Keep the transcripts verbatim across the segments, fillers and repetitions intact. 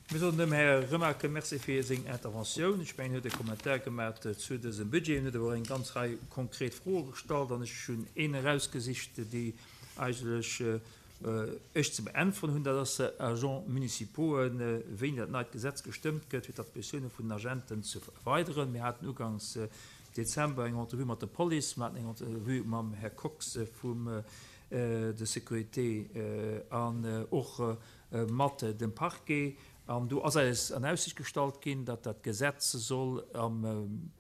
Mir soen dem Här Remakel Merci fir seng Interventioun. Ech mengen, hien huet e Kommentar gemaach zu dësem Budget. Hien huet awer och eng ganz Rei konkret Froe gestallt an ech hunn een erausgesicht, déi eigentlech ech ze beäntweren hunn. Dat ass Agents municipaux, wéini dat neit Gesetz gestëmmt gëtt, fir d'Attributiounen vun den Agenten ze erweideren. Mir haten uganks Dezember eng Entrevue mat der Police, mir haten eng Entrevue mam Här Kox vum der Sécurité an och mat dem Parquet. An do ass eis an Aussicht gestallt ginn, datt dat Gesetz soll am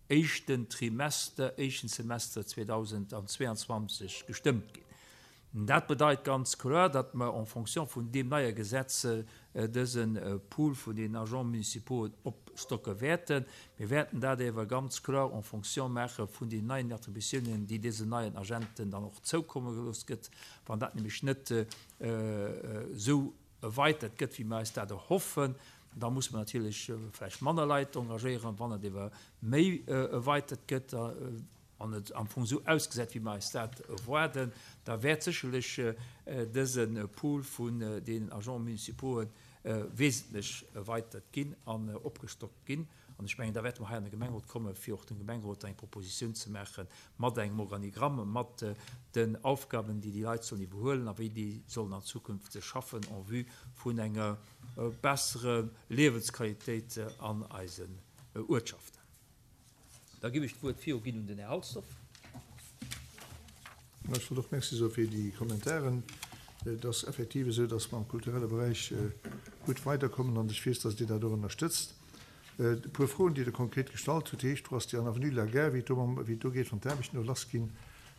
éischten Trimester, éischten Semester zweedausendzweianzwanzeg gestëmmt ginn. Dat bedeit ganz kloer, datt mer en fonction vun deem neie Gesetz dëse Pool vun den Agents municipaux opstocke wäerten. Mir wäerten dat awer ganz kloer en fonction maache vun den neien Attributiounen, déi dësen neien Agenten dann och zoukomme gelooss gëtt. Wann dat nämlech net esou erweitert gëtt, wéi mir eis dat erhoffen, da muss mer natierlech vläicht manner Leit engagéieren. Wann et ewer méi erweitert gëtt an et am Fong esou ausgesäit, wéi mir eis dat erwaarden, da wäert sécherlech dëse Pool vun deenen Agents municipaux wesentlech erweitert ginn an opgestockt ginn. An ech mengen, da wäerte mer hei an de Gemengerot kommen, fir och dem Gemengerot eng Proposition ze maache mat engem Organigramm, mat den Aufgaben, déi déi Leit sollen iwwerhuelen a wéi déi sollen an Zukunft schaffen en vue vun enger besserer Liewensqualitéit an eisen Uertschaften. Da ginn ech d'Wuert viru ginn un den Här Halsdorf. Ech wollt och Merci soe fir déi Kommentaren. Et ass effektiv esou, dass mer am kulturelle Beräich gutt weiderkommen an ech weess, dass Dir dat och ënnerstëtzt. E puer Froen, déi Der konkret gestallt hutt, heescht, Wou ass déi an Avenue de la Gare, wéi et do mam, wéi et do geet, wann d'Aarbechten do lassginn?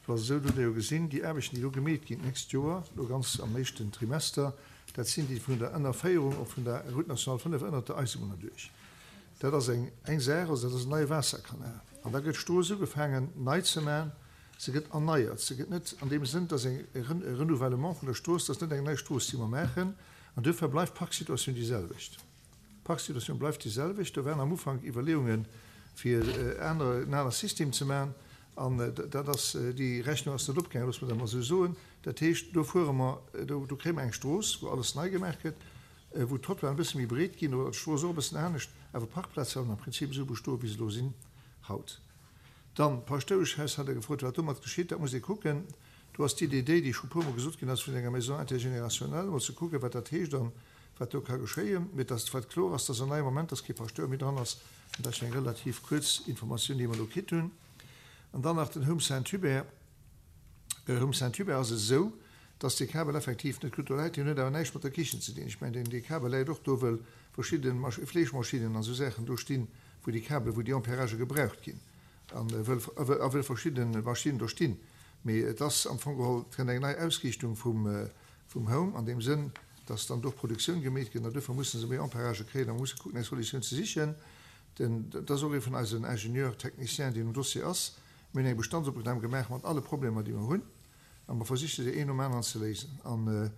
Do ass esou, do hutt Der jo gesinn, déi Aarbechten, déi do gemeet ginn d'nächst Joer, elo ganz am éischten Trimester, dat sinn déi vun der Ënnerféierung och vun der Route nationale fënnef ënnert der Eisebunn erduerch. Dat ass eng eng Saach, also dat ass en neie Waasserkanal. An da gëtt d'Strooss ugefaangen nei ze maachen. Se gëtt erneiert. Se gëtt net an deem Sënn, dass eng e Renouvellement vun der Strooss, dat ass net eng nei Strooss, déi mer maachen. An duerfir bleift d'Parksituatioun déi selwecht. D'Parksituatioun bleift déi selwecht. Do waren am Ufank Iwwerleeungen, fir aner, en anere System ze maachen. An dat ass, déi Rechnung ass net opgaangen, loosse mer dat emol esou soen. Dat heescht, do fuere mer, do, do kréie mer eng Strooss, wou alles nei gemaach gëtt, wou d'Trottoiren e bësse méi breet ginn oder d'Strooss och e bëssen anescht, awer d'Parkplaze bleiwen am Prinzip esou bestoen, wéi se elo sinn haut. Dann, d'Paschtoueschhaus hat Der gefrot, wat domat geschitt. Dat muss ee kucken. Do ass d'Idee déi, déi scho puermol gesot ginn ass, vun enger Maison intergénérationnelle, emol ze kucken, wat dat heescht an wat do ka geschéien. Mee dass, wat kloer ass, dass an neiem Moment, dass kee Paschtouer méi dran ass. An dat ass jo eng relativ kuerz Informatioun, déi mer elo kritt hunn. An dann nach den Home Saint-Hubert. Home Saint-Hubert ass esou, dass dee Kabel effektiv net gutt do läit. Deen huet awer näischt mat der Kichen ze dinn. Ech mengen, deen, dee Kabel läit och do, wëll verschidde Fleeschmaschinnen an esou Saachen do stinn, wou déi Kabele, wou déi Ampéragë gebraucht ginn a wëll, a wëll verschidde Maschinnen do stinn. Mee et ass am Fong geholl, et kënnt eng nei Ausriichtung vum, vum Home an deem Sënn, dass dann do och Produktioun gemeet gëtt an duerfir musse se méi Ampéragë kréien a musse kucken, eng Solutioun ze sichen. Den, dat ass och ee vun eisen Ingénieurs techniciens, deen um Dossier ass. Mir hunn eng Bestandsopnam gemaach mat alle Problemer, déi mer hunn, a mer versiche se een nom aneren ze léisen. An,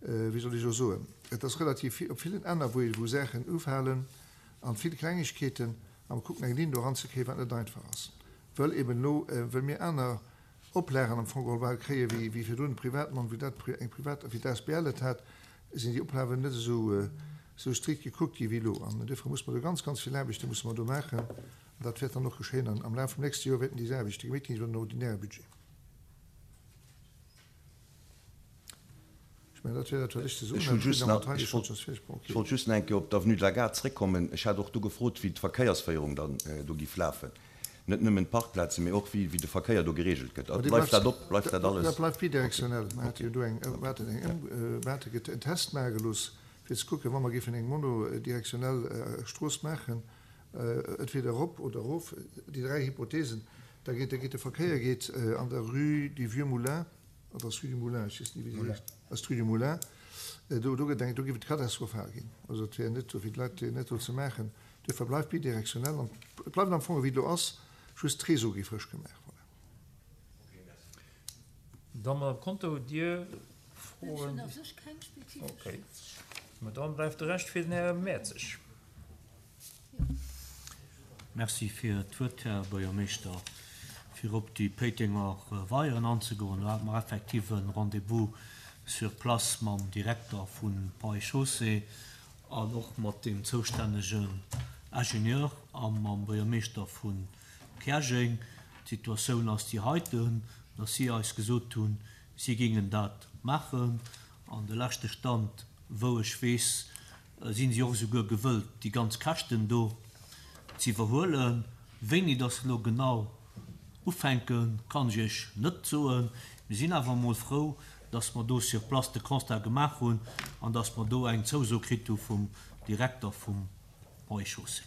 wéi soll ech elo soen, et ass relativ vill op villen Enner, wou ee wou Saachen ufalen an vill Klengegkeeten, a mer kucken eng Linn do eranzekréien, wat net einfach ass, wëll eben elo, wëll mir aner Oplagen am Fong geholl bal kréie wéi wéi virdrun de Privatmann, wéi dat eng Privat, wéi d'A S B L et hat, sinn déi Oplagen net esou esou strikt gekuckt gi wéi elo. An duerfir muss mer do ganz, ganz vill Aarbechte musse mer do maachen. An dat wäert dann och geschéien. An am Laf vum nächste Joer wäerten déi Aarbechte gemeet ginn iwwer den ordinäre Budget. Ech mengen, dat wär dat, wat ech ze soen Ech hunn hat. just Président nach, Matthei, ech ech wollt wollt, soss vläicht, bon, ech okay. wollt just nach eng Kéier op d'Avenue de la Gare zréckkommen. Ech hat och do gefrot, wéi d'Verkéiersféierung dann do giff lafen. Net nëmmen d'Parkplazen, mee och wéi, wéi de Verkéier do geregelt gëtt. Ma dee Bleift bleift, dat op? Bleift dat dat alles? bleift Okay, bidirektionell. Mer hate okay, jo do eng, danke. mer haten eng Ëm, mer hate get en Test maache gelooss, fir ze kucken, wa mer géifen eng monodirektionell Strooss maachen, entweder erop oder erof, déi dräi Hypothesen, da geet, da geet de Verkéier geet an der Rue du Vieux Moulin, oder ass Rue du Moulin, ech weess ni wéi se heescht, ass d'Rue du Moulin, do, do gëtt eng, do géif et katastrophal ginn. Also et wär net do fir d'Leit net do ze maachen. Duerfir bleift bidirektionell an et bleift am Fong ewéi et elo ass, just d'Réseau gi frësch gemaach. Voilà. Da Madame Conter, hutt Dir Ech Froen? hunn a sech keng spezifesch. Okay. Mä dann bleift de Rescht fir den Här Mertzig. Merci fir d'Wuert, Här Buergermeeschter. Fir op déi Péitenger Weieren anzegoen, do hate mer effektiv e Rendez-vous sur place mam Direkter vu Ponts et Chaussées. an och mat deem zoustännegen Ingenieur a mam Buergermeeschter vu Käerjeng. D'Situatioun ass déi heiten, dass si eis gesot hunn, si géingen dat maachen. An de leschte Stand, wou ech weess, sinn si och esouguer gewëllt, déi ganz Käschten do z'iwwerhuelen. Wéini dass se elo genau ufänken, kann ech Iech net soen. Mir sinn awer emol frou, dass mer do sur place de Constat gemaach hunn an dass mer do eng Zouso kritt hu vum Direkter vum Ponts et Chaussées.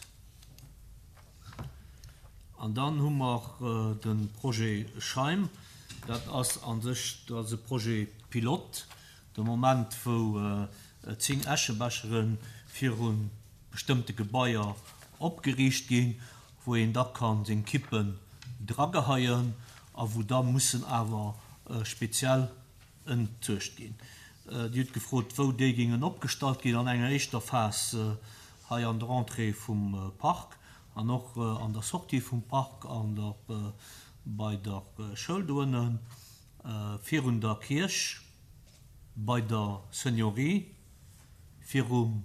An dann hu mer de Projet Scheim. Dat ass a sech, dat ass e Projet pilote. De Moment, wou zéng Äschebechere viru bestëmmte Gebaier opgeriicht ginn, wou een da ka seng Kippen drageheien a wou da mussen awer speziell entsuergt ginn. Dir hutt gefrot, wou déi géingen opgestallt ginn. An enger éischter Phas hei an der Entrée vum Park an och an der Sortie vum Park an der bei der Schoul do ënnen, virun der Kierch, bei der Seniorie, virum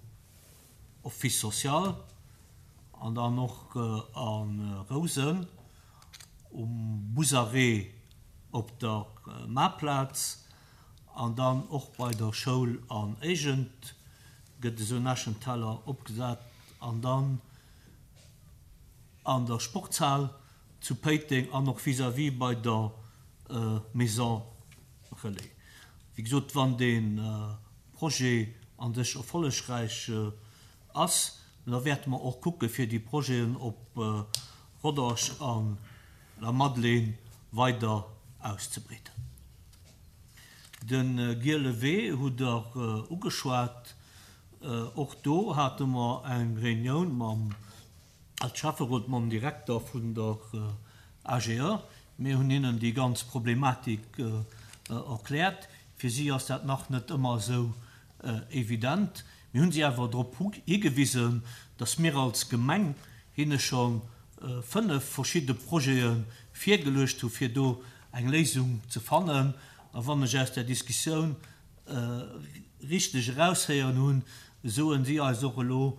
Office social an dann och a Rousen, um Busarrêt op der Maarplaz an dann och bei der Schoul an Éigent gëtt esou en Äschenteller opgesat an dann an der Sportshal zu Péiteng an och vis-à-vis bei der Maison Relais. Wéi gesot, wann dee Projet an sech erfollegräich ass, da wäerte mer och kucke fir déi Projeten op Rodange an La Madeleine weider auszebreeden. De Giele Wee hutt Der ugeschwat. Och do hate mer eng Reunioun mam, als Schäfferot, mam Direkter vun der AGE. Mir hunn hinnen déi ganz Problematik erkläert. Fir si ass dat nach net ëmmer esou evident. Mir hunn si awer drop higewisen, dass mir als Gemeng hinne scho fënnef verschidde Projete virgeluecht hu fir do eng Léisung ze fannen. A wann ech aus där Diskussioun richteg eraushéieren hunn, soen si eis och elo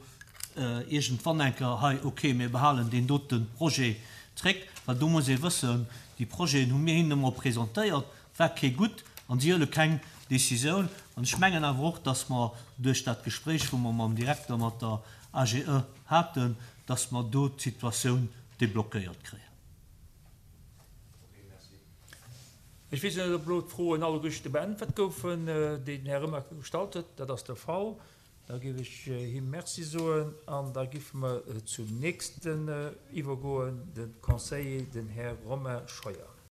iergendwann eng Kéier hei, okay, mir behalen deen dote Projet zréck, well do muss ee wëssen, déi Projeten hu mir hinnen emol presentéiert, war kee gutt an si huele keng Décisioun. An ech mengen awer och, dass mer duerch dat Gespréich, wou mer mam Direkter, mat der AGE haten, dass mer do d'Situatioun deblockéiert kréien. Ech weess net, ob elo d'Froen alleguerte beäntwert goufen, déi den Här Remakel gestallt huet. Dat ass de Fall. Da géif ech him Merci soen an da géife mer zum nächsten iwwergoen, de Conseiller, den Här Romain Scheuer.